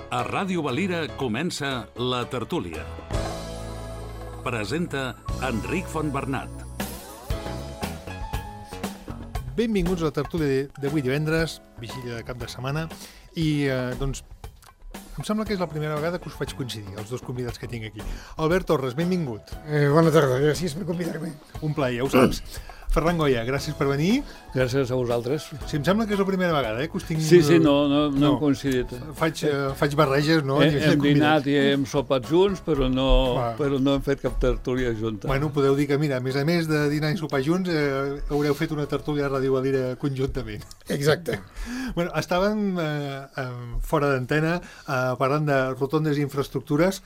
A Ràdio Valira comença La Tertúlia. Presenta Enric Fontbernat. Benvinguts a La Tertúlia d'avui divendres, vigília de cap de setmana, i doncs em sembla que és la primera vegada que us faig coincidir, els dos convidats que tinc aquí. Albert Torres, benvingut. Bona tarda, gràcies per convidar-me. Un plaer, ja ho saps. Ferran Goya, gràcies per venir. Gràcies a vosaltres. Sí, em sembla que és la primera vegada que us tinc... Sí, no hem coincidit. Faig barreges, no? Hem dinat i hem sopat junts, però no hem fet cap tertúlia junta. Bueno, podeu dir que, mira, a més de dinar i sopar junts, haureu fet una tertúlia a Ràdio Valira conjuntament. Exacte. Bueno, estàvem fora d'antena parlant de rotondes i infraestructures.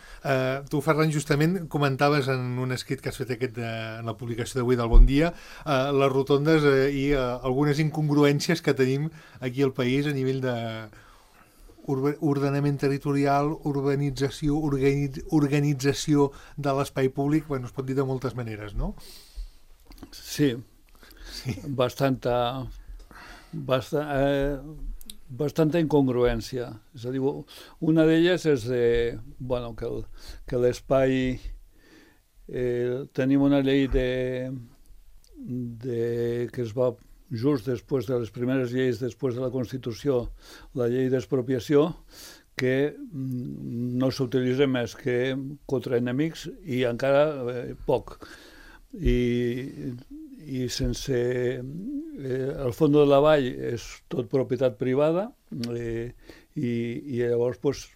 Tu, Ferran, justament comentaves en un escrit que has fet en la publicació d'avui del Bon Dia les rotondes i algunes incongruències que tenim aquí al país a nivell de ordenament territorial, urbanització, organització de l'espai públic. Bueno, es pot dir de moltes maneres, no? Sí. Bastanta incongruència. És a dir, una d'elles és que l'espai... tenim una llei que es va just després de les primeres lleis, després de la Constitució, la llei d'expropiació, que no s'utilitza més que contra enemics i encara poc. I sense... el fons de la vall és tot propietat privada i llavors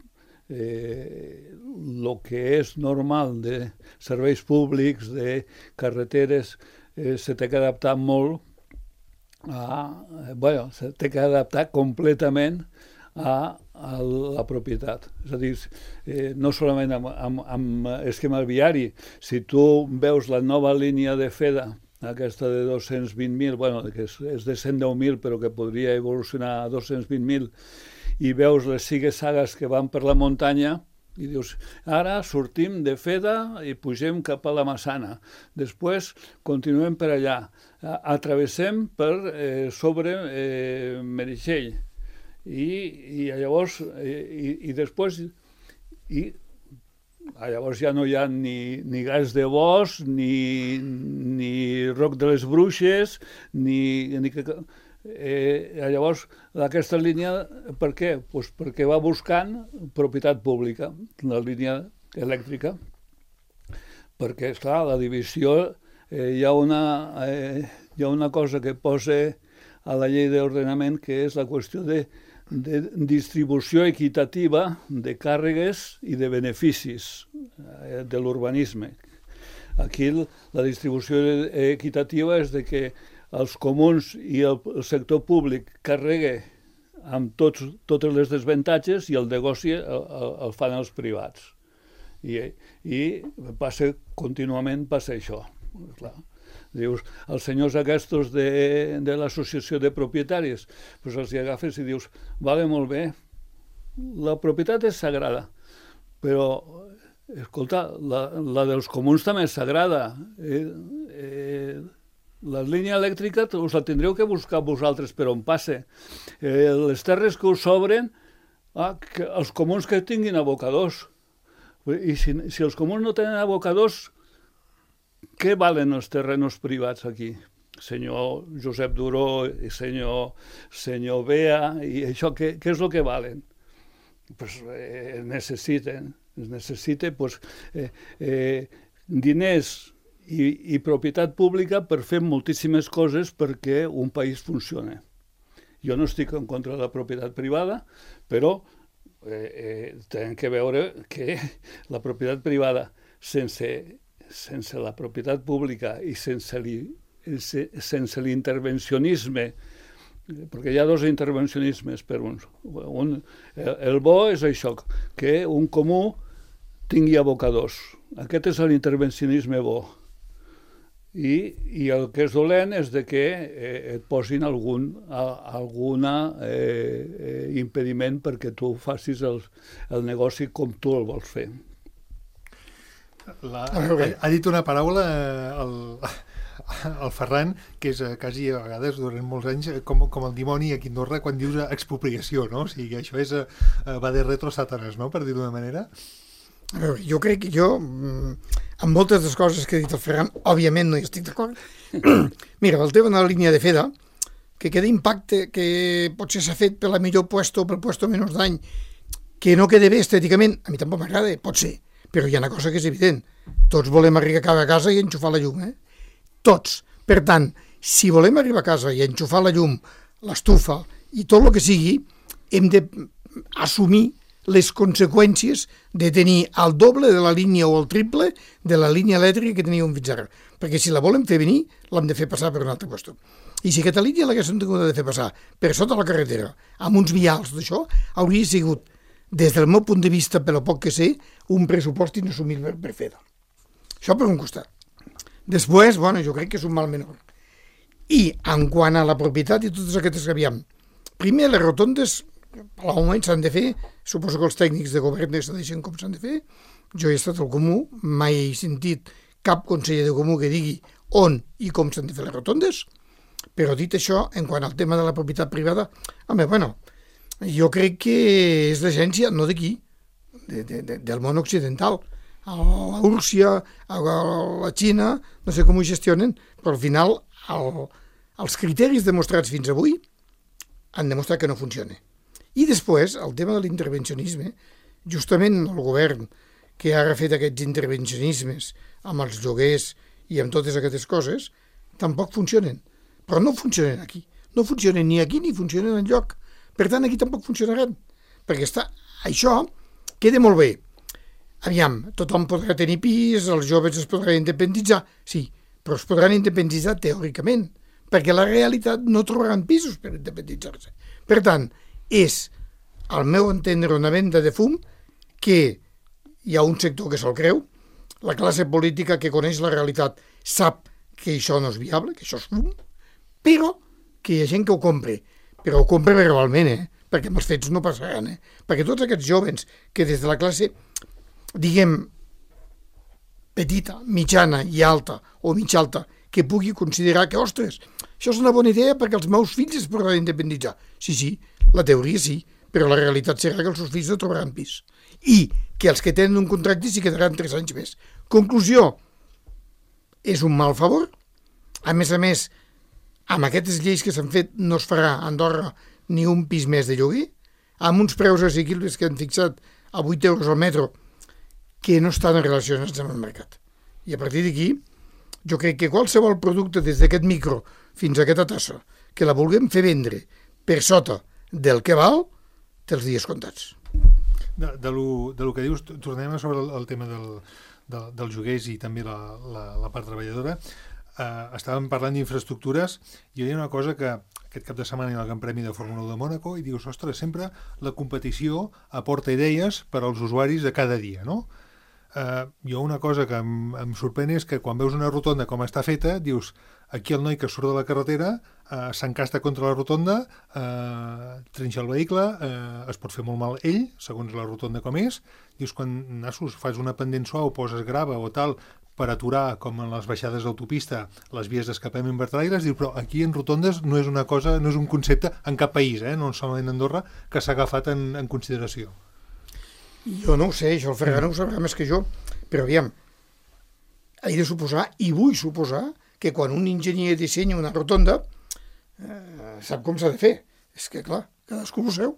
el que és normal de serveis públics, de carreteres, se té que adaptar molt se té que adaptar completament a la propietat. És a dir, no solament amb esquema viari. Si tu veus la nova línia de FEDA, aquesta de 220.000, que és de 110.000, però que podria evolucionar a 220.000, i veus les sigues-sagues que van per la muntanya, i dius, ara sortim de FEDA i pugem cap a la Massana. Després continuem per allà. Atravessem per sobre Meritxell. I llavors ja no hi ha ni Gas de Bosc, ni Roc de les Bruixes, llavors, aquesta línia, per què? Pues perquè va buscant propietat pública, la línia elèctrica, perquè, esclar, la divisió, hi ha una cosa que posa a la llei d'ordenament, que és la qüestió de distribució equitativa de càrregues i de beneficis de l'urbanisme. Aquí la distribució equitativa és de que els comuns i el sector públic carrega amb totes les desavantatges i el negoci el fan els privats. I contínuament passa això. Clar. Dius, els senyors aquests de l'associació de propietaris, doncs els agafes i dius, vale, molt bé, la propietat és sagrada, però, escolta, la dels comuns també és sagrada. La línia elèctrica us la tindreu que buscar vosaltres per on passe. Les terres que us sobren, els comuns que tinguin abocadors. I si els comuns no tenen abocadors, què valen els terrenos privats aquí? Senyor Josep Duró i senyor Bea, i això què és el que valen? Pues necessiten diners i propietat pública per fer moltíssimes coses perquè un país funcioni. Jo no estic en contra de la propietat privada, però tenim que veure que la propietat privada sense la propietat pública i sense l'intervencionisme, perquè hi ha dos intervencionismes per uns. El bo és això, que un comú tingui abocadors. Aquest és l'intervencionisme bo. I el que és dolent és que et posin algun impediment perquè tu facis el negoci com tu el vols fer. Ha dit una paraula el Ferran, que és quasi a vegades, durant molts anys, com el dimoni aquí a Andorra quan dius expropiació, no? O sigui, això és va de retro Satanas, no?, per dir-ho d'una manera. A veure, jo crec que amb moltes de les coses que ha dit el Ferran, òbviament no hi estic d'acord. Mira, el tema de la línia de FEDA, que queda impacte, que potser s'ha fet per la millor puesto o pel puesto menys dany, que no queda bé estèticament, a mi tampoc m'agrada, pot ser, però hi ha una cosa que és evident. Tots volem arribar a casa i enxufar la llum, Tots. Per tant, si volem arribar a casa i enxufar la llum, l'estufa i tot el que sigui, hem d'assumir les conseqüències de tenir el doble de la línia o el triple de la línia elèctrica que teníem fins ara. Perquè si la volem fer venir, l'hem de fer passar per un altre lloc. I si aquesta línia l'haguéssim tingut de fer passar per sota la carretera, amb uns vials d'això, hauria sigut, des del meu punt de vista, per lo poc que sé, un pressupost inassumible per FEDA. Això per un costat. Després, jo crec que és un mal menor. I, en quant a la propietat i totes aquestes que havíem, primer, les rotondes, al moment s'han de fer, suposo que els tècnics de govern decideixen com s'han de fer, jo he estat al Comú, mai he sentit cap conseller de Comú que digui on i com s'han de fer les rotondes, però dit això, en quant al tema de la propietat privada, jo crec que és l'agència, no d'aquí, del món occidental, a la Rússia, a la Xina, no sé com ho gestionen, però al final els criteris demostrats fins avui han demostrat que no funciona. I després, el tema de l'intervencionisme, justament el govern que ha refet aquests intervencionismes amb els lloguers i amb totes aquestes coses, tampoc funcionen. Però no funcionen aquí. No funcionen ni aquí ni funcionen enlloc. Per tant, aquí tampoc funcionaran. Perquè això queda molt bé. Aviam, tothom podrà tenir pis, els joves es podran independitzar. Sí, però es podran independitzar teòricament, perquè la realitat no trobaran pisos per independitzar-se. Per tant, és, al meu entendre, una venda de fum que hi ha un sector que se'l creu, la classe política que coneix la realitat sap que això no és viable, que això és fum, però que hi ha gent que ho compra. Però ho compra verbalment, perquè amb els fets no passaran. Perquè tots aquests jovens que des de la classe, diguem, petita, mitjana i alta, o mitja alta, que pugui considerar que, ostres, això és una bona idea perquè els meus fills es podran independitzar. Sí, la teoria sí, però la realitat serà que els seus fills no trobaran pis. I que els que tenen un contracte s'hi quedaran 3 anys més. Conclusió, és un mal favor. A més, amb aquestes lleis que s'han fet no es farà a Andorra ni un pis més de lloguer, amb uns preus assequibles que han fixat a 8 euros al metro que no estan relacionats amb el mercat. I a partir d'aquí, jo crec que qualsevol producte des d'aquest micro fins a aquesta tassa que la vulguem fer vendre per sota del que val, té els dies comptats. De lo que dius, tornem a sobre el tema dels lloguers i també la part treballadora. Estàvem parlant d'infraestructures i hi ha una cosa que aquest cap de setmana hi ha el Gran Premi de Fórmula 1 de Mònaco i dius, ostres, sempre la competició aporta idees per als usuaris de cada dia, no? Jo una cosa que em sorprèn és que quan veus una rotonda com està feta, dius, aquí el noi que surt de la carretera s'encasta contra la rotonda, trinxa el vehicle, es pot fer molt mal ell, segons la rotonda com és, dius, quan fas una pendent suau, poses grava o tal, per aturar, com en les baixades d'autopista, les vies d'escapament vertalaires, diu, però aquí en rotondes no és una cosa, no és un concepte en cap país, no solament a Andorra, que s'ha agafat en consideració. Jo no ho sé, això el Ferran ho sabrà més que jo, però aviam, he de suposar, i vull suposar, que quan un enginyer dissenya una rotonda, sap com s'ha de fer. És que, clar, cadascú ho seu.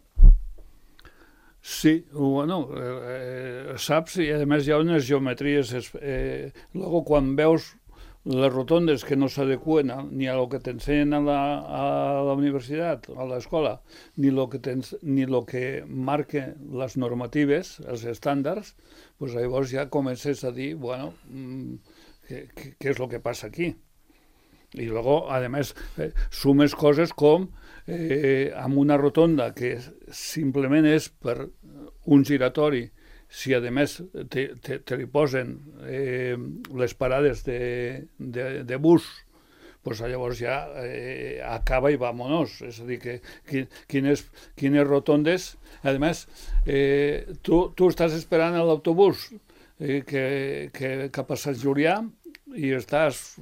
Sí, bueno, saps, i a més hi ha unes geometries. Luego, quan veus les rotondes que no s'adequen ni a lo que t'ensenyen a la universitat, a l'escola, ni lo que marquen les normatives, els estàndards, pues llavors ja comences a dir, bueno, què és el que passa aquí? I luego, además, sumes coses com amb una rotonda que simplement és per un giratori, si a més te li posen les parades de bus, pues llavors ja acaba i vámonos. És a dir, que quines rotondes... A més, tu estàs esperant l'autobús cap a Sant Julià i estàs,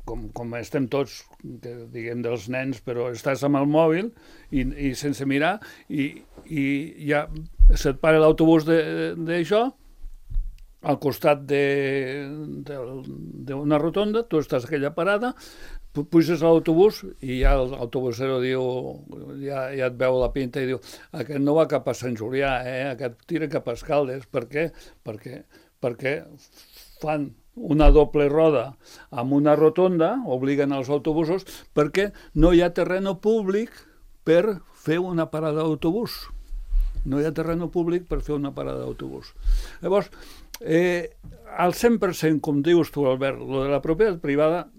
com com estem tots, que diguem dels nens, però estàs amb el mòbil i sense mirar, i ja se't para l'autobús d'això, al costat d'una rotonda, tu estàs a aquella parada, puges a l'autobús i ja l'autobusero diu, ja et veu la pinta i diu, aquest no va cap a Sant Julià, aquest tira cap a Escaldes. Per què? Perquè fan una doble roda amb una rotonda, obliguen els autobusos, perquè no hi ha terreny públic per fer una parada d'autobús. No hi ha terreny públic per fer una parada d'autobús. Llavors, al 100%, com dius tu, Albert, lo de la propietat privada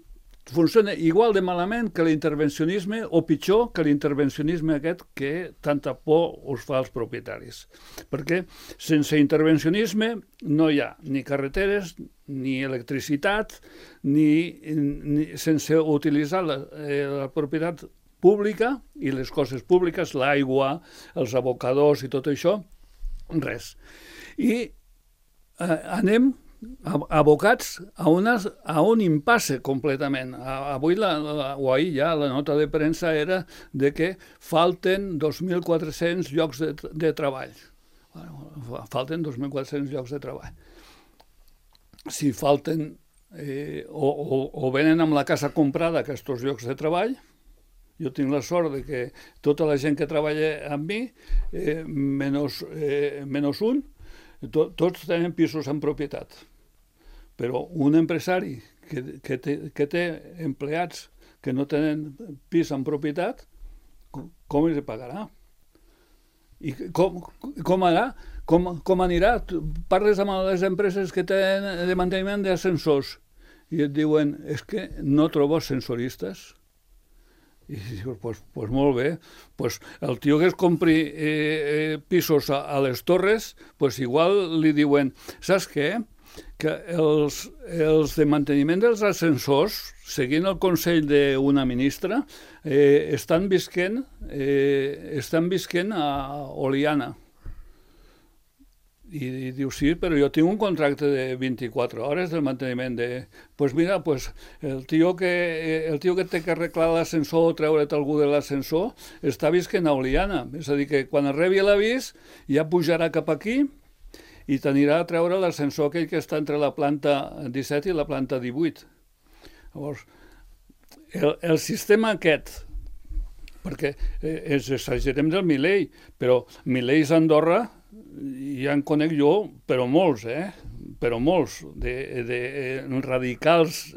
funciona igual de malament que l'intervencionisme, o pitjor que l'intervencionisme aquest que tanta por us fa als propietaris. Perquè sense intervencionisme no hi ha ni carreteres, ni electricitat, ni sense utilitzar la propietat pública i les coses públiques, l'aigua, els abocadors i tot això, res. I anem abocats a un impasse completament. Avui o ahir ja la nota de premsa era de que falten 2.400 llocs de treball. Falten 2.400 llocs de treball. Si falten o venen amb la casa comprada aquests llocs de treball, jo tinc la sort de que tota la gent que treballa amb mi, menys un, tots tenen pisos en propietat. Però un empresari que té empleats que no tenen pis en propietat, com els pagarà? I com anirà? Parles amb les empreses que tenen de manteniment d'ascensors i et diuen, és que no trobo ascensoristes. I dius, pues molt bé, pues el tio que es compri pisos a les Torres, pues igual li diuen, saps què? Que els de manteniment dels ascensors, seguint el consell d'una ministra, estan visquent a Oliana. I diu, sí, però jo tinc un contracte de 24 hores del manteniment de... Pues mira, el tio que té que arreglar l'ascensor o treure't algú de l'ascensor està visquent a Oliana. És a dir, que quan rebi l'avís ja pujarà cap aquí i t'anirà a treure l'ascensor aquell que està entre la planta 17 i la planta 18. Llavors, el sistema aquest, perquè ens exagerem del Milei, però Mileis a Andorra ja en conec jo, però molts, però molts, de radicals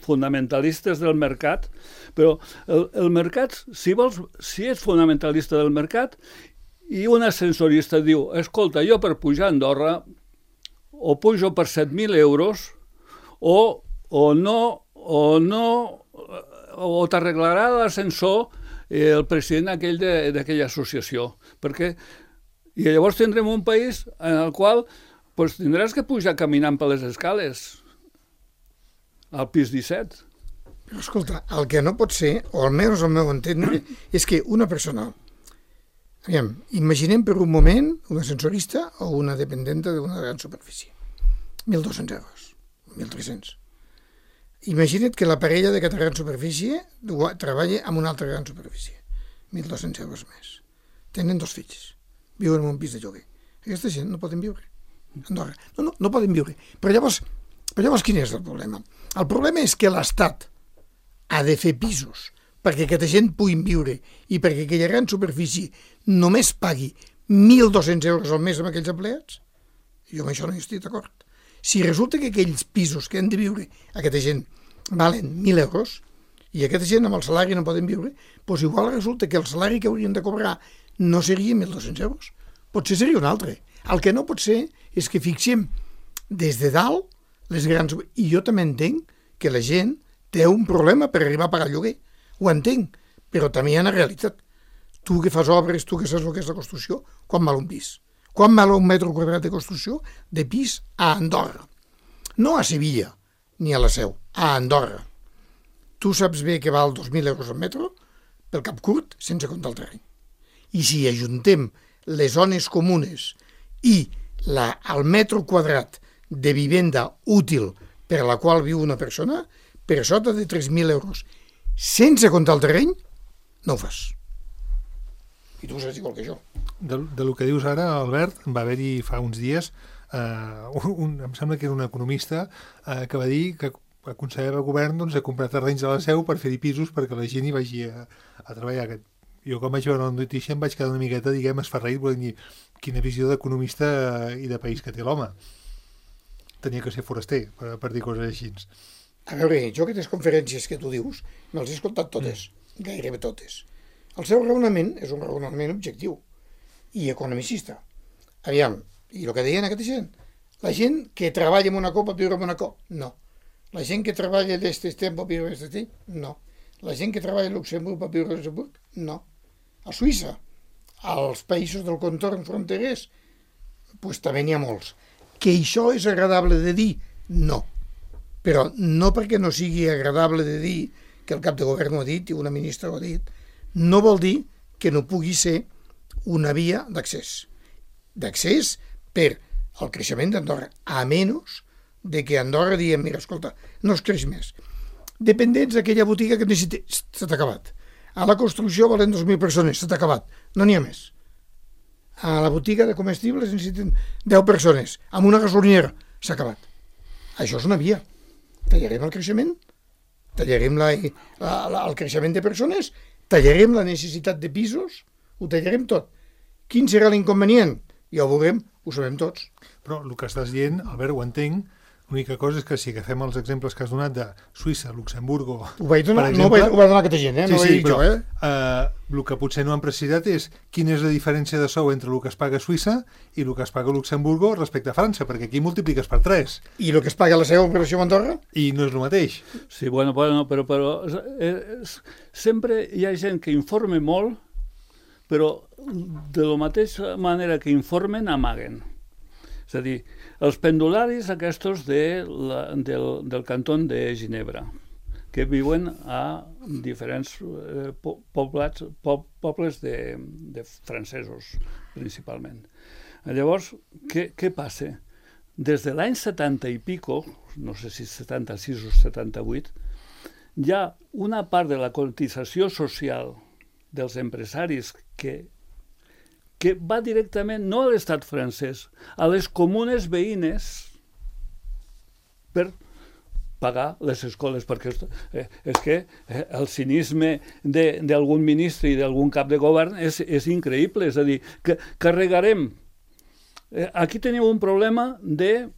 fonamentalistes del mercat, però el mercat, si ets fonamentalista del mercat, i un ascensorista diu, escolta, jo per pujar a Andorra o pujo per 7.000 euros o t'arreglarà l'ascensor el president aquell d'aquella associació. I llavors tindrem un país en el qual tindràs que pujar caminant per les escales al pis 17. Escolta, el que no pot ser, o almenys el meu entendre, és que una persona... Imaginem per un moment un ascensorista o una dependenta d'una gran superfície. 1.200 euros, 1.300. Imagina't que la parella d'aquesta gran superfície treballa en una altra gran superfície. 1.200 euros més. Tenen 2 fills. Viuen en un pis de lloguer. Aquesta gent no poden viure a Andorra. No poden viure. Però llavors quin és el problema? El problema és que l'Estat ha de fer pisos perquè aquesta gent puguin viure i perquè aquella gran superfície només pagui 1.200 euros al mes amb aquells empleats. Jo amb això no hi estic d'acord. Si resulta que aquells pisos que han de viure aquesta gent valen 1.000 euros i aquesta gent amb el salari no poden viure, doncs igual resulta que el salari que haurien de cobrar no seria 1.200 euros. Potser seria un altre. El que no pot ser és que fixem des de dalt les grans... I jo també entenc que la gent té un problema per arribar a pagar el lloguer. Ho entenc, però també hi ha una realitat. Tu que fas obres, tu que saps el que és la construcció, quan val un pis? Quan val un metre quadrat de construcció de pis a Andorra? No a Sevilla, ni a la Seu, a Andorra. Tu saps bé que val 2.000 euros al metre pel cap curt, sense comptar el terreny. I si ajuntem les zones comunes i el metro quadrat de vivenda útil per a la qual viu una persona, per sota de 3.000 euros, sense comptar el terreny, no ho fas. I tu ho saps igual que jo. De lo que dius ara, Albert, va haver-hi fa uns dies, em sembla que era un economista que va dir que aconsellava el govern a comprar terrenys a la Seu per fer-hi pisos perquè la gent hi vagi a treballar. Jo quan vaig veure la notícia em vaig quedar una miqueta, esferraït, volent dir quina visió d'economista i de país que té l'home. Tenia que ser foraster per dir coses així. A veure, jo aquestes conferències que tu dius me les he escoltat totes, gairebé totes. El seu raonament és un raonament objectiu i economicista. Aviam, i el que deien aquesta gent? La gent que treballa en una copa viure en Monacó? No. La gent que treballa d'este temps pot viure en este temps? No. La gent que treballa a Luxemburg pot viure a Luxemburg? No. A Suïssa, als països del contorn fronterers, doncs també n'hi ha molts. Que això és agradable de dir? No. Però no perquè no sigui agradable de dir que el cap de govern ho ha dit i una ministra ho ha dit, no vol dir que no pugui ser una via d'accés. D'accés per al creixement d'Andorra, a menys de que Andorra diguem, mira, escolta, no es creix més. Dependents d'aquella botiga que necessita, s'ha acabat. A la construcció valen 2.000 persones, s'ha acabat, no n'hi ha més. A la botiga de comestibles necessiten 10 persones, amb una gasolinera, s'ha acabat. Això és una via. Tallarem el creixement, tallarem el creixement de persones, tallarem la necessitat de pisos, ho tallarem tot. Quin serà l'inconvenient? Ja ho veurem, ho sabem tots. Però el que estàs dient, Albert, ho entenc, l'única cosa és que si agafem els exemples que has donat de Suïssa, Luxemburgo, ho vaig donar, per exemple... No ho va donar aquesta gent, no ho vaig dir jo, el que potser no han precisat és quina és la diferència de sou entre el que es paga a Suïssa i el que es paga a Luxemburgo respecte a França, perquè aquí multipliques per 3. I el que es paga a la seva operació a Andorra? I no és el mateix. Sí, bueno, però sempre hi ha gent que informa molt, però de la mateixa manera que informen, amaguen. És a dir, els pendularis aquests del canton de Ginebra, que viuen a diferents pobles de francesos, principalment. Llavors, què passa? Des de l'any 70 i pico, no sé si 76 o 78, hi ha una part de la cotització social dels empresaris que va directament, no a l'estat francès, a les comunes veïnes per pagar les escoles, perquè és que el cinisme d'algun ministre i d'algun cap de govern és increïble, és a dir, que carregarem. Aquí tenim un problema de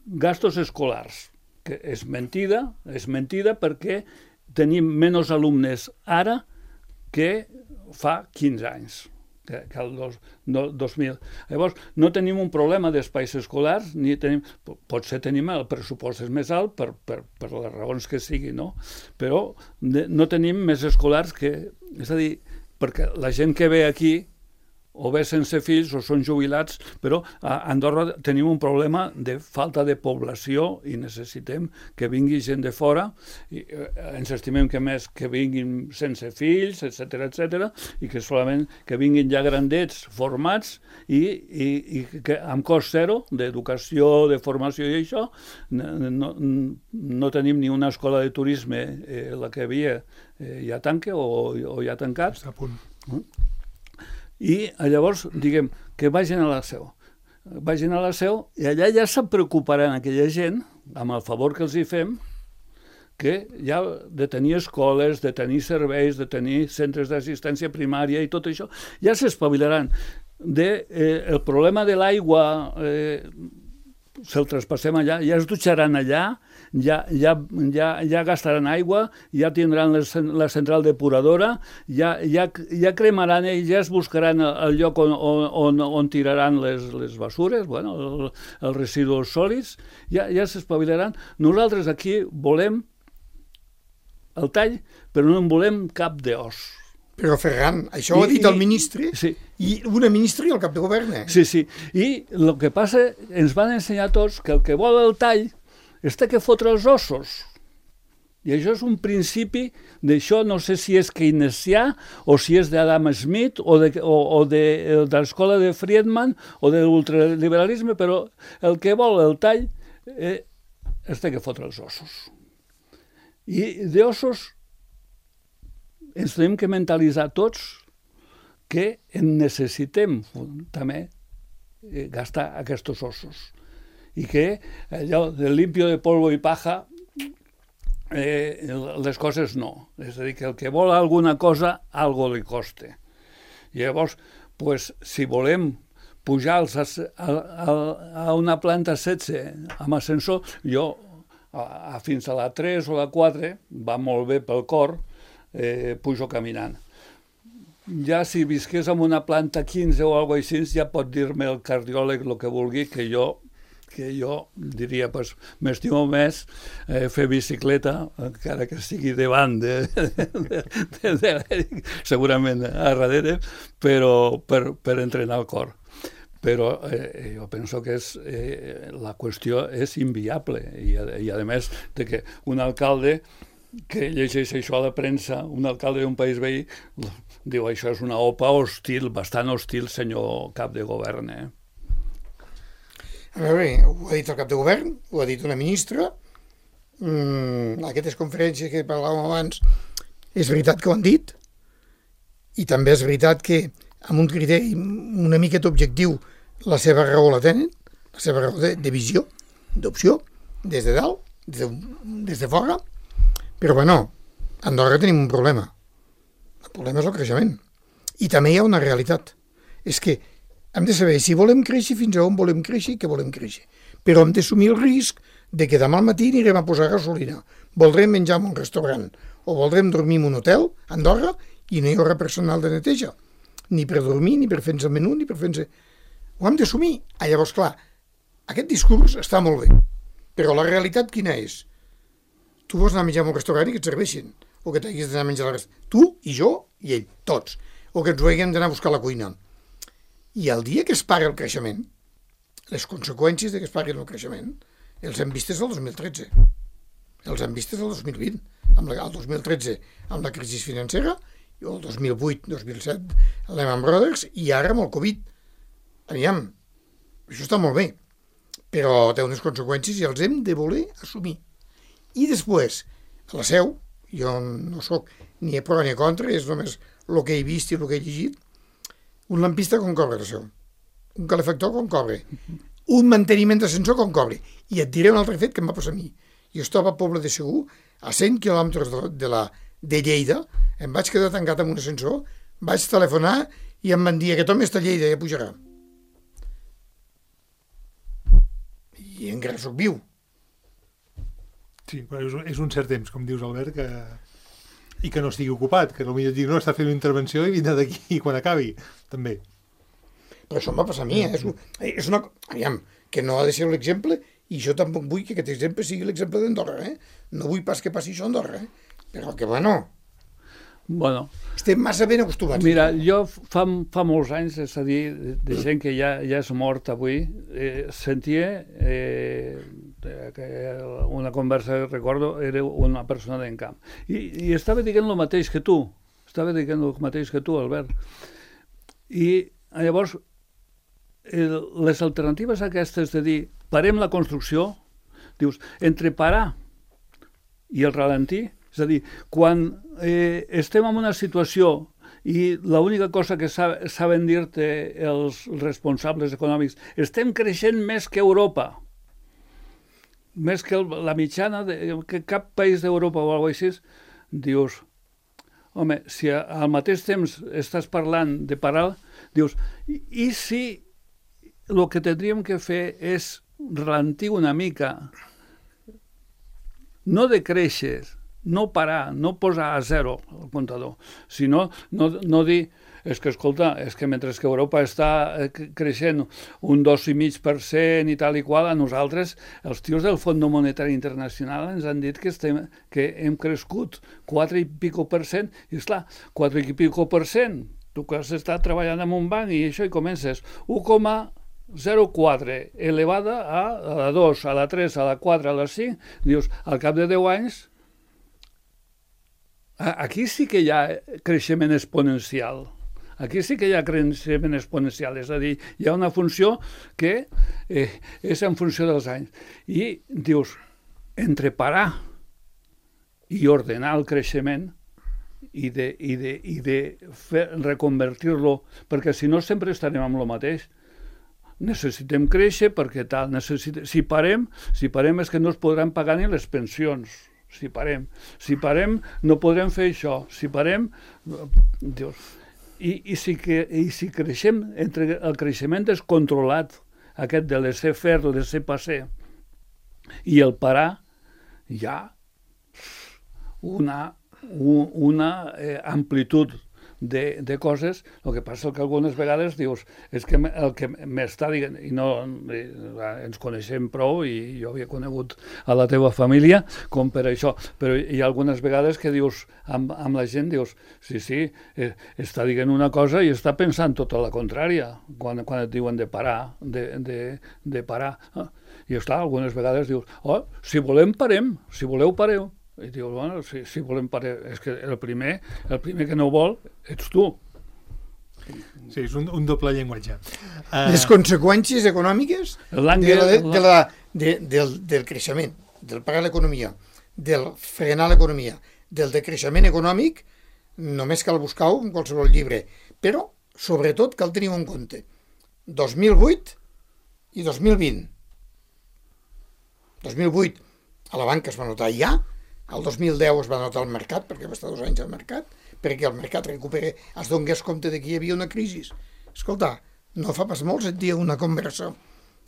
gastos escolars, que és mentida perquè tenim menys alumnes ara que fa 15 anys. Que el 2000. Llavors, no tenim un problema d'espais escolars, potser tenim el pressupost és més alt per les raons que sigui, no? Però no tenim més escolars és a dir, perquè la gent que ve aquí o bé sense fills o són jubilats, però a Andorra tenim un problema de falta de població i necessitem que vingui gent de fora, i ens estimem que més que vinguin sense fills, etc, i que solament que vinguin ja grandets, formats, i que amb cost zero d'educació, de formació i això, no tenim ni una escola de turisme, la que havia ja tanca o ja ha tancat. Està a punt. I llavors, diguem, que vagin a la Seu. Vagin a la Seu i allà ja se preocuparan aquella gent, amb el favor que els hi fem, que ja de tenir escoles, de tenir serveis, de tenir centres d'assistència primària i tot això, ja s'espavilaran. El problema de l'aigua se'l traspassem allà, ja es dutxaran allà, ja gastaran aigua, ja tindran la central depuradora, ja cremaran ells, ja es buscaran el lloc on tiraran les basures, els residus sòlids, ja s'espavilaran. Nosaltres aquí volem el tall, però no en volem cap d'os. Però, Ferran, això ho ha dit el ministre, i una ministra i el cap de govern. Sí. I el que passa, ens van ensenyar tots que el que vol el tall és que fotre els ossos. I això és un principi d'això, no sé si és keynesià o si és d'Adam Smith o de l'escola de Friedman o de l'ultraliberalisme, però el que vol el tall és que fotre els ossos. I d'ossos ens tenim que mentalitzar tots que en necessitem també gastar aquests ossos. I que allò de limpio de polvo i paja, les coses no. És a dir, que el que vol alguna cosa, algo li coste. I llavors, pues, si volem pujar a una planta 16 amb ascensor, jo fins a la 3 o la 4, va molt bé pel cor, pujo caminant. Ja si visqués en una planta 15 o alguna cosa així, ja pot dir-me el cardiòleg el que vulgui, que jo diria, pues, m'estimo més fer bicicleta, encara que estigui davant segurament a darrere, però per entrenar el cor. Però jo penso que la qüestió és inviable i a més de que un alcalde que llegeix això a la premsa, un alcalde d'un país veí, diu això és una OPA hostil, bastant hostil, senyor cap de govern. A veure, ho ha dit el cap de govern, ho ha dit una ministra, aquestes conferències que parlàvem abans, és veritat que ho han dit, i també és veritat que amb un criteri una miqueta objectiu la seva raó la tenen, la seva raó de visió, d'opció, des de dalt, des de fora, però bueno, a Andorra tenim un problema. El problema és el creixement. I també hi ha una realitat. És que hem de saber si volem créixer, fins a on volem créixer i què volem créixer. Però hem d'assumir el risc de que demà al matí anirem a posar gasolina, voldrem menjar en un restaurant o voldrem dormir en un hotel a Andorra i no hi haurà personal de neteja. Ni per dormir, ni per fer-nos el menú, ni per fer-nos... Ho hem d'assumir. Llavors, clar, aquest discurs està molt bé, però la realitat quina és? Tu vols anar a menjar en un restaurant i que et serveixin, o que t'haguis d'anar a menjar a la restaurant. Tu i jo i ell, tots. O que ens ho haguem d'anar a buscar a la cuina. I el dia que es pari el creixement, les conseqüències de que es pari el creixement, els hem vistes el 2013. Els hem vistes el 2020. El 2013 amb la crisi financera, i el 2008, 2007, Lehman Brothers, i ara amb el Covid. Aviam, això està molt bé, però té unes conseqüències i els hem de voler assumir. I després, a la Seu, jo no sóc ni a pro ni a contra, és només el que he vist i el que he llegit, un lampista com cobra la Seu, un calefactor com cobra, un manteniment d'ascensor com cobra. I et diré un altre fet que em va passar a mi. Jo estava a Poble de Segur, a 100 quilòmetres de Lleida, em vaig quedar tancat amb un ascensor, vaig telefonar i em van dir que Tom està a Lleida, ja pujarà. I encara soc viu. Sí, però és un cert temps, com dius, Albert, i que no estigui ocupat, que potser dic, no, està fent una intervenció i vindrà d'aquí quan acabi, també. Però això em va passar a mi, és una... Aviam, que no ha de ser l'exemple, i jo tampoc vull que aquest exemple sigui l'exemple d'Andorra, No vull pas que passi això a Andorra, Però que, bueno... Estem massa ben acostumats. Mira, jo fa molts anys, és a dir, de gent que ja és mort avui, sentia una conversa, recordo, era una persona d'encamp. I estava dient el mateix que tu. Albert. I llavors, les alternatives aquestes de dir, parem la construcció, dius, entre parar i el ralentir, és a dir, quan estem en una situació i l'única cosa que saben dir-te els responsables econòmics, estem creixent més que Europa, més que la mitjana, que cap país d'Europa o alguna cosa així, dius, home, si al mateix temps estàs parlant de parar, dius, i si el que tindríem que fer és ralentir una mica, no decréixer, no parar, no posar a zero el comptador, sinó no dir, és que, escolta, és que mentre que Europa està creixent un 2,5% i tal i qual, a nosaltres, els tios del Fons Monetari Internacional ens han dit que hem crescut 4 i pico %, i esclar, 4 i pico %, tu que has estat treballant en un banc i això, i comences 1,04 elevada a la 2, a la 3, a la 4, a la 5, dius, al cap de 10 anys, aquí sí que hi ha creixement exponencial. Aquí sí que hi ha creixement exponencial, és a dir, hi ha una funció que és en funció dels anys. I dius, entre parar i ordenar el creixement i de reconvertir-lo, perquè si no sempre estarem amb el mateix. Necessitem créixer perquè tal, si parem és que no es podran pagar ni les pensions. Si parem no podrem fer això. Si parem, Dios. I si creixem, entre el creixement descontrolat, aquest de laissez-faire, laissez-passer, i el parar, hi ha una amplitud de coses. El que passa és que algunes vegades dius, és que el que m'està dient, i no ens coneixem prou, i jo havia conegut a la teva família com per això, però hi ha algunes vegades que dius, amb la gent dius, sí, està dient una cosa i està pensant tota la contrària, quan et diuen de parar, de parar. I esclar, algunes vegades dius, si volem parem, si voleu pareu. I dius, bueno, si volem parar, és que el primer que no vol ets tu. Sí, és un doble llenguatge. Les conseqüències econòmiques del creixement, del parar l'economia, del frenar l'economia, del decreixement econòmic, només cal buscar-ho en qualsevol llibre. Però, sobretot, cal tenir en compte 2008 i 2020. 2008 a la banca es va notar ja, el 2010 es va notar al mercat, perquè va estar 2 anys al mercat, perquè el mercat recupera, es donés compte de que hi havia una crisi. Escolta, no fa pas molt sentia una conversa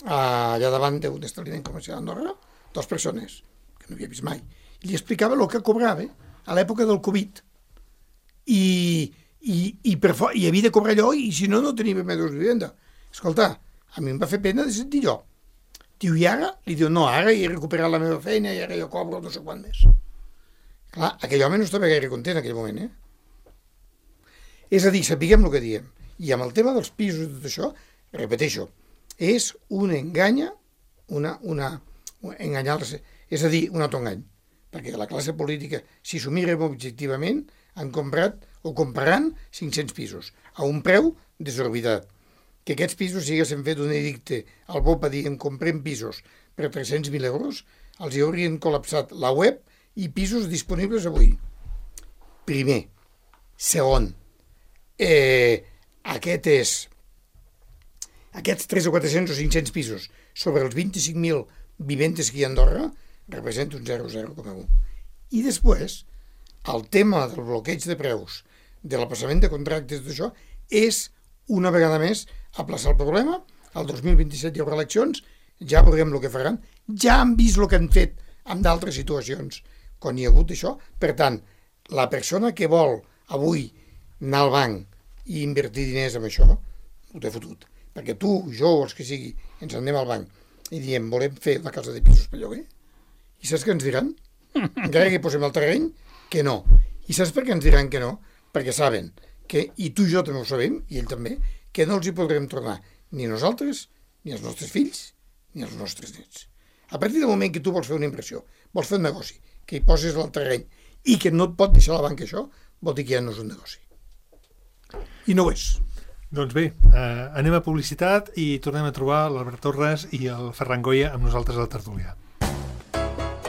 allà davant d'un establiment comercial d'Andorra, 2 persones, que no havia vist mai, i li explicava el que cobrava a l'època del Covid. I havia de cobrar allò, i si no, no tenia mesos de vivenda. Escolta, a mi em va fer pena de sentir allò. Diu, i ara? Li diu, no, ara he recuperat la meva feina i ara jo cobro no sé quant més. Clar, aquell home no estava gaire content en aquell moment, És a dir, sapiguem el que diem. I amb el tema dels pisos i tot això, repeteixo, és un enganya, enganyar-se, és a dir, un autoengany. Perquè la classe política, si s'ho mirem objectivament, han comprat o compraran 500 pisos a un preu desorbitat. Que aquests pisos, si haguessin fet un edicte al BOPA dient comprem pisos per 300.000 euros, els hi haurien col·lapsat la web i pisos disponibles avui. Primer. Segon, aquests 300 o 400 o 500 pisos sobre els 25.000 viventes que hi ha a Andorra representa un 0,0,1. I després, el tema del bloqueig de preus, de l'aplaçament de contractes, d'això, és una vegada més aplaçar el problema. El 2027 hi haurà eleccions, ja veurem el que faran, ja han vist el que han fet en d'altres situacions quan hi ha hagut això. Per tant, la persona que vol avui anar al banc i invertir diners en això, ho té fotut. Perquè tu, jo o els que sigui, ens anem al banc i diem, volem fer una casa de pisos per lloguer. I saps què ens diran? Encara que hi posem el terreny, que no. I saps per què ens diran que no? Perquè saben que, i tu i jo també ho sabem, i ell també, que no els hi podrem tornar ni nosaltres, ni els nostres fills, ni els nostres nets. A partir del moment que tu vols fer una inversió, vols fer un negoci, que hi poses el terreny i que no et pot deixar la banca això, vol dir que ja no és un negoci. I no ho és. Doncs bé, anem a publicitat i tornem a trobar l'Albert Torres i el Ferran Goya amb nosaltres a la tertúlia.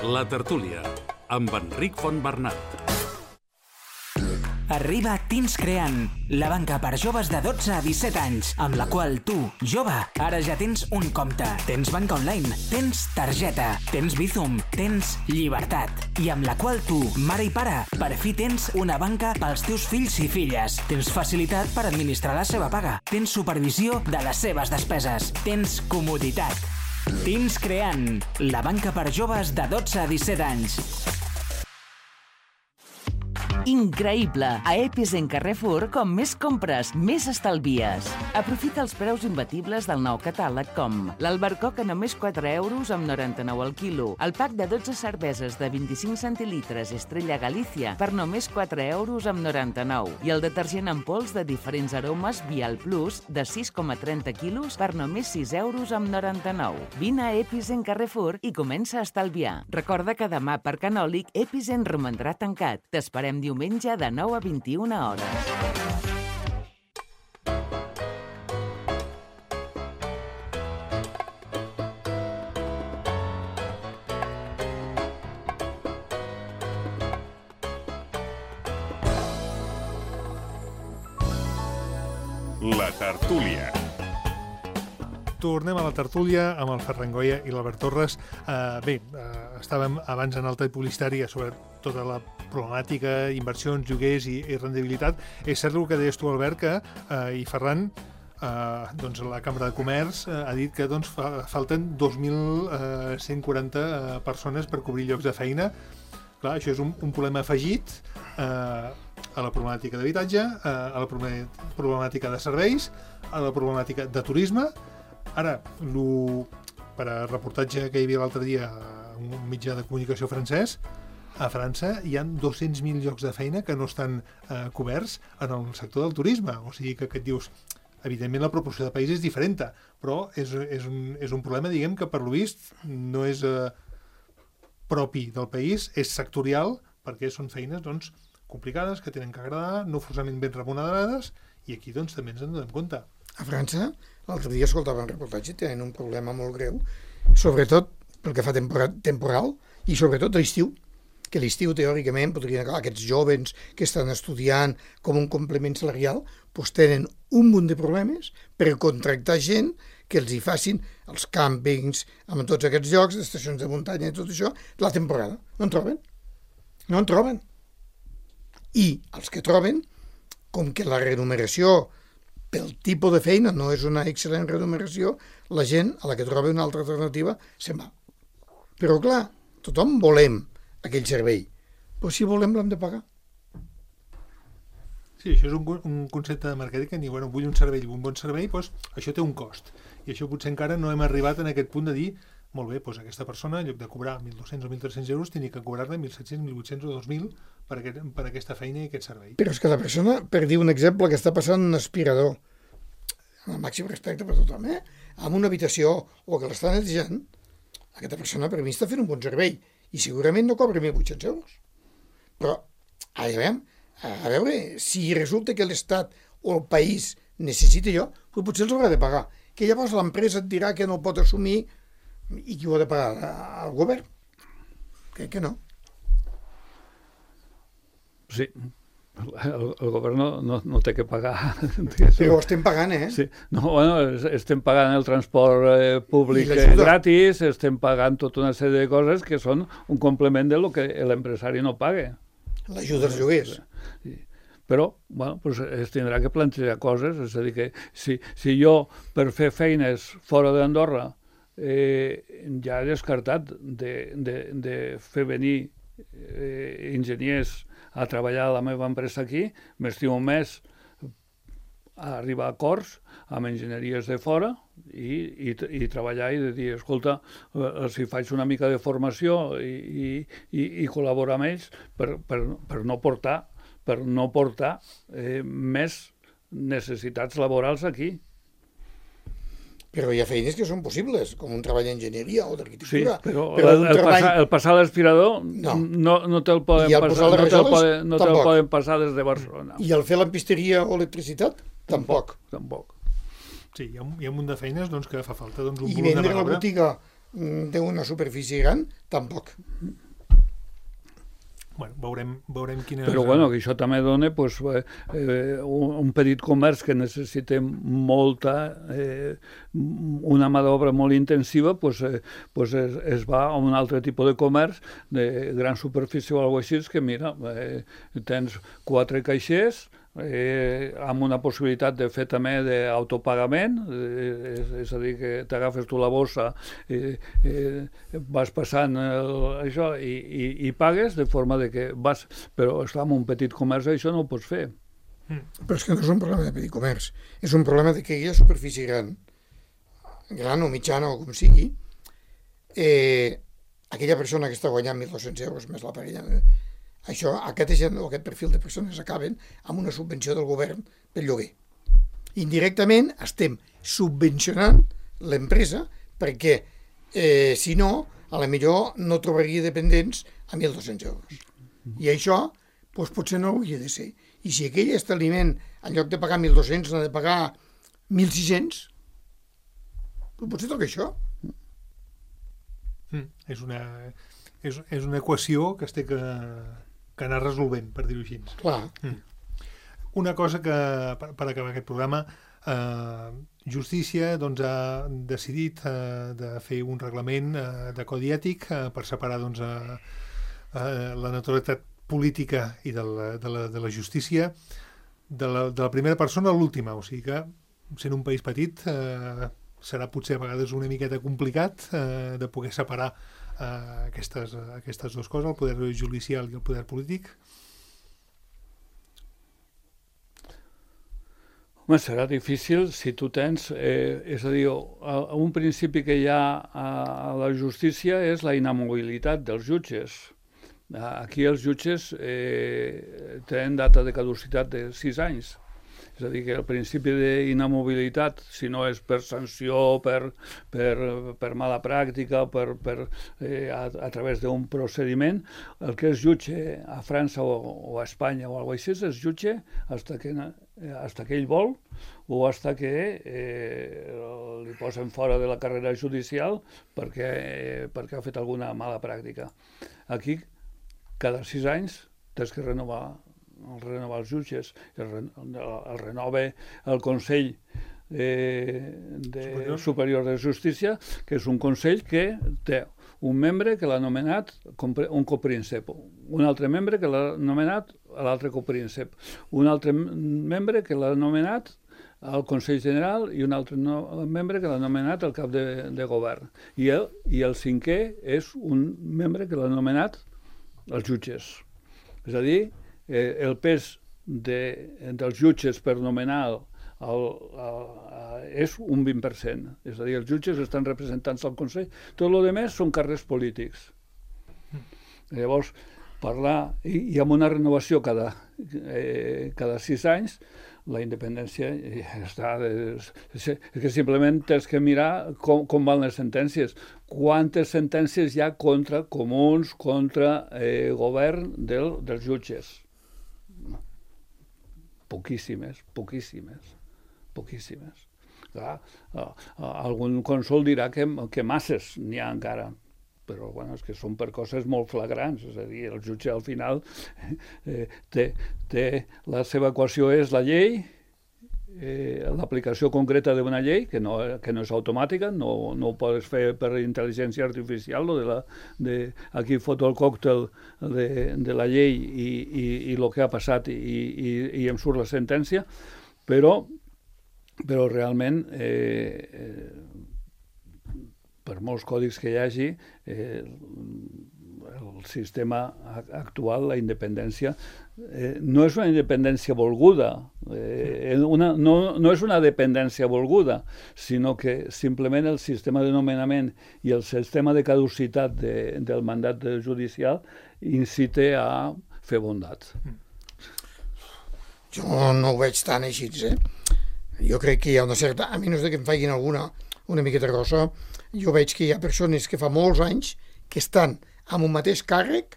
La tertúlia, amb Enric Fontbernat. Arriba Teens Creant, la banca per joves de 12 a 17 anys, amb la qual tu, jove, ara ja tens un compte, tens banca online, tens targeta, tens Bizum, tens llibertat, i amb la qual tu, mare i pare, per fi tens una banca pels teus fills i filles, tens facilitat per administrar la seva paga, tens supervisió de les seves despeses, tens comoditat. Teens Creant, la banca per joves de 12 a 17 anys. Increïble! A Episen Carrefour, com més compres, més estalvies. Aprofita els preus imbatibles del nou catàleg com l'albercoc a només 4 euros amb 99 al quilo, el pack de 12 cerveses de 25 centilitres Estrella Galícia per només 4 euros amb 99 i el detergent en pols de diferents aromes Vial Plus de 6,30 quilos per només 6 euros amb 99. Vine a Episen Carrefour i comença a estalviar. Recorda que demà per Canòlic Episen romandrà tancat. T'esperem diumenge de 9 a 21 hores. La tertúlia. Tornem a la tertúlia amb el Ferran Goya i l'Albert Torres. Estàvem abans en el tall publicitari sobre tota la problemàtica, inversions, lloguers i rendibilitat. És cert el que deies tu, Albert, que i Ferran, la Cambra de Comerç ha dit que falten 2.140 persones per cobrir llocs de feina. Clar, això és un problema afegit a la problemàtica d'habitatge, a la problemàtica de serveis, a la problemàtica de turisme. Ara, per a reportatge que hi havia l'altre dia a un mitjà de comunicació francès, a França hi ha 200.000 llocs de feina que no estan coberts en el sector del turisme. O sigui que et dius, evidentment la proporció de país és diferent, però és un problema, diguem, que per lo vist no és propi del país, és sectorial, perquè són feines complicades, que tenen que agradar, no forçament ben remunerades, i aquí també ens en donem compte. A França, l'altre dia escoltava un reportatge, tenen un problema molt greu, sobretot pel que fa temporal, i sobretot l'estiu, que l'estiu teòricament podrien acabar aquests joves que estan estudiant com un complement salarial, doncs tenen un munt de problemes per contractar gent que els hi facin els càmpings, amb tots aquests llocs, estacions de muntanya i tot això, la temporada. No en troben. No en troben. I els que troben, com que la remuneració pel tipus de feina no és una excel·lent remuneració, la gent a la que troba una altra alternativa se'n va. Però clar, tothom volem aquell servei, però si volem l'hem de pagar. Sí, això és un concepte de màrqueting que diu, vull un servei, un bon servei, doncs això té un cost. I això potser encara no hem arribat en aquest punt de dir, molt bé, doncs aquesta persona, en lloc de cobrar 1.200 o 1.300 euros, tenia que cobrar-ne 1.700, 1.800 o 2.000 per aquesta feina i aquest servei. Però és que la persona, per dir un exemple, que està passant un aspirador, amb el màxim respecte per tothom, amb una habitació o que l'està netejant, aquesta persona per mi està fent un bon servei i segurament no cobra 1.800 euros. Però, a veure, si resulta que l'Estat o el país necessita allò, doncs potser els haurà de pagar. Que llavors l'empresa et dirà que no el pot assumir i qui ho ha de pagar? El govern? Crec que no. Sí, el govern no té que pagar. Però ho estem pagant, Sí. No, estem pagant el transport públic gratis, estem pagant tota una sèrie de coses que són un complement de lo que l'empresari no paga. L'ajuda als lloguers. Sí. Però pues es tindrà que plantejar coses, és a dir, que si jo per fer feines fora d'Andorra ja he descartat de fer venir enginyers a treballar a la meva empresa aquí, m'estimo més a arribar a acords amb enginyeries de fora i treballar i de dir, escolta, si faig una mica de formació i col·laborar amb ells per no portar més necessitats laborals aquí. Però hi ha feines que són possibles, com un treball d'enginyeria o d'arquitectura. Sí, però el passar a l'aspirador no te'l poden passar des de Barcelona. I el fer lampisteria o electricitat? Tampoc. Sí, hi ha un munt de feines que fa falta un volum de mà d'obra. I vendre la botiga d'una superfície gran? Tampoc. Bueno, veurem quina... Però que això també dona un petit comerç que necessita una mà d'obra molt intensiva, es va a un altre tipus de comerç de gran superfície o alguna cosa així, que mira, tens 4 caixers, amb una possibilitat de fer també d'autopagament, és a dir, que t'agafes tu la bossa, vas passant això i pagues, de forma de que vas... Però, esclar, amb un petit comerç això no ho pots fer. Però és que no és un problema de petit comerç, és un problema de que hi ha superfície gran o mitjana o com sigui, aquella persona que està guanyant 1.200 euros més la parella, aquest perfil de persones acaben amb una subvenció del govern pel lloguer. Indirectament estem subvencionant l'empresa perquè, si no, a la millor no trobaria dependents a 1.200 euros. I això potser no hauria de ser. I si aquell establiment, en lloc de pagar 1.200, n'ha de pagar 1.600, potser toca això. És una equació que es té que anar resolvent, per dir-ho així. Clar. Una cosa que, per acabar aquest programa, Justícia doncs, ha decidit de fer un reglament de codi ètic per separar doncs, la neutralitat política i de la justícia de la primera persona a l'última, o sigui que sent un país petit serà potser a vegades una miqueta complicat de poder separar aquestes dues coses, el poder judicial i el poder polític. Home, serà difícil si tu tens, és a dir, un principi que hi ha a la justícia és la inamobilitat dels jutges. Aquí els jutges tenen data de caducitat de 6 anys. És a dir, que el principi d'inamobilitat, si no és per sanció, per mala pràctica, a través d'un procediment, el que és jutge a França o a Espanya o alguna cosa així, és jutge hasta que ell vol o hasta que li posen fora de la carrera judicial perquè ha fet alguna mala pràctica. Aquí, cada 6 anys, tens que renovar els jutges, el renova el Consell Superior de Justícia, que és un consell que té un membre que l'ha nomenat un copríncep, un altre membre que l'ha nomenat l'altre copríncep, un altre membre que l'ha nomenat al Consell General i un altre membre que l'ha nomenat el cap de govern. I el 5è és un membre que l'ha nomenat els jutges. És a dir, el pes dels jutges per nomenar és un 20%. És a dir, els jutges estan representats al Consell. Tot el que més són càrrecs polítics. Llavors, parlar, i amb una renovació cada 6 anys, la independència està... És que simplement tens que mirar com van les sentències. Quantes sentències hi ha contra comuns, contra govern dels jutges? Poquíssimes. Clar, algun cònsol dirà que masses n'hi ha encara, però bueno, és que són per coses molt flagrants, és a dir, el jutge al final té la seva equació és la llei, l'aplicació concreta d'una llei, que no és automàtica, no ho pots fer per intel·ligència artificial, aquí foto el còctel de la llei i el que ha passat i em surt la sentència, però realment per molts còdics que hi hagi, el sistema actual, la independència, no és una independència volguda, no és una dependència volguda, sinó que simplement el sistema de nomenament i el sistema de caducitat del mandat judicial incita a fer bondat. Jo no ho veig tan així, Jo crec que hi ha una certa... A menys que em facin alguna una miqueta grossa, jo veig que hi ha persones que fa molts anys que estan amb un mateix càrrec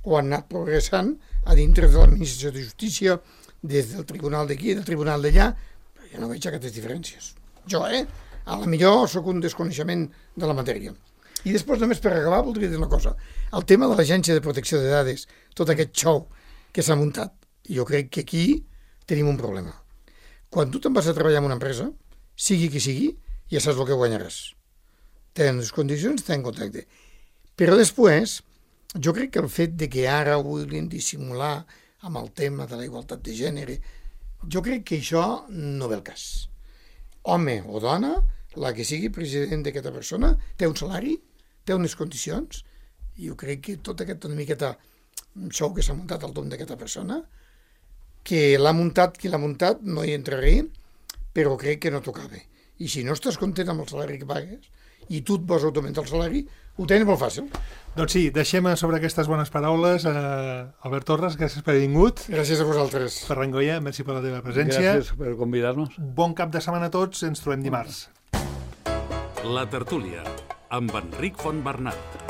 o han anat progressant a dintre de l'administració de justícia, des del tribunal d'aquí, del tribunal d'allà, però jo no veig aquestes diferències. Jo, a la millor sóc un desconeixement de la matèria. I després, només per acabar, voldria dir una cosa. El tema de l'Agència de Protecció de Dades, tot aquest xou que s'ha muntat, jo crec que aquí tenim un problema. Quan tu te'n vas a treballar en una empresa, sigui qui sigui, ja saps el que guanyaràs. Tenen les condicions, tenen contracte. Però després, jo crec que el fet de que ara ho vulguin dissimular amb el tema de la igualtat de gènere, jo crec que això no ve el cas. Home o dona, la que sigui president d'aquesta persona, té un salari, té unes condicions, i jo crec que tot aquest una miqueta xou que s'ha muntat al tom d'aquesta persona, que l'ha muntat qui l'ha muntat, no hi entraré, però crec que no tocava. I si no estàs content amb el salari que pagues i tu et vols augmentar el salari, ho tens molt fàcil. Doncs sí, deixem sobre aquestes bones paraules. Albert Torres, gràcies per haver vingut. Gràcies a vosaltres. Ferran Goya, merci per la teva presència. Gràcies per convidar-nos. Bon cap de setmana a tots, ens trobem dimarts. La tertúlia, amb Enric Fontbernat.